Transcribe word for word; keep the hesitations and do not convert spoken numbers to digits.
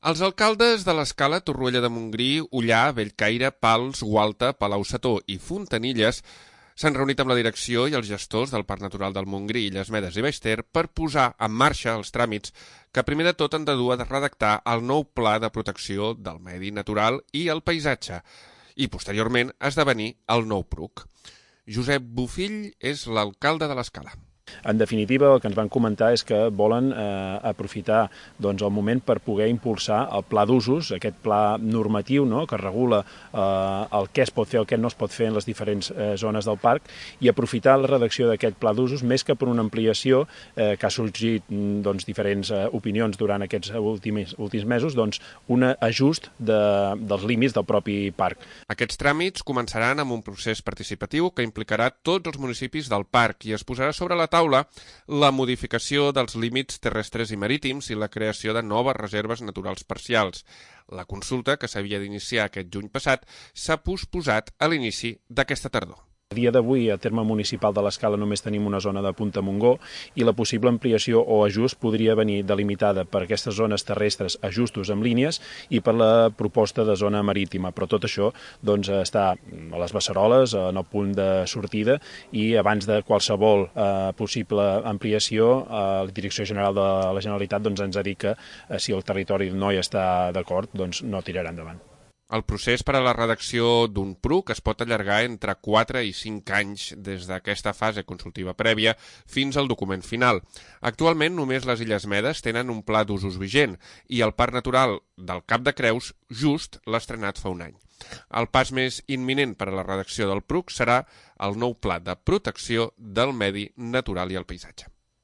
Els alcaldes de l'Escala, Torroella de Montgrí, Ullà, Bellcaire, Pals, Gualta, Palau-Sator i Fontanilles s'han reunit amb la direcció i els gestors del Parc Natural del Montgrí, Illes Medes i Baix Ter per posar en marxa els tràmits que primer de tot han de dur a redactar el nou Pla de Protecció del Medi Natural i el Paisatge i, posteriorment, esdevenir el nou P R U C. Josep Bofill és l'alcalde de l'Escala. En definitiva, el que ens van comentar és que volen eh, aprofitar doncs, el moment per poder impulsar el pla d'usos, aquest pla normatiu, no?, que regula eh, el què es pot fer o el què no es pot fer en les diferents eh, zones del parc, i aprofitar la redacció d'aquest pla d'usos més que per una ampliació eh, que ha sorgit doncs, diferents eh, opinions durant aquests últims, últims mesos, doncs, un ajust de, dels límits del propi parc. Aquests tràmits començaran amb un procés participatiu que implicarà tots els municipis del parc i es posarà sobre la taula la modificació dels límits terrestres i marítims i la creació de noves reserves naturals parcials. La consulta, que s'havia d'iniciar aquest juny passat, s'ha posposat a l'inici d'aquesta tardor. A dia d'avui, a terme municipal de l'Escala, només tenim una zona de Punta Montgó i la possible ampliació o ajust podria venir delimitada per aquestes zones terrestres, ajustos amb línies, i per la proposta de zona marítima. Però tot això doncs, està a les beceroles, en el punt de sortida, i abans de qualsevol eh, possible ampliació, eh, la Direcció General de la Generalitat doncs, ens ha dit que eh, si el territori no hi està d'acord, doncs no tirarà endavant. El procés per a la redacció d'un P R U C es pot allargar entre quatre i cinc anys des d'aquesta fase consultiva prèvia fins al document final. Actualment només les Illes Medes tenen un pla d'usos vigent i el Parc Natural del Cap de Creus just l'ha estrenat fa un any. El pas més imminent per a la redacció del P R U C serà el nou Pla de Protecció del Medi Natural i el Paisatge.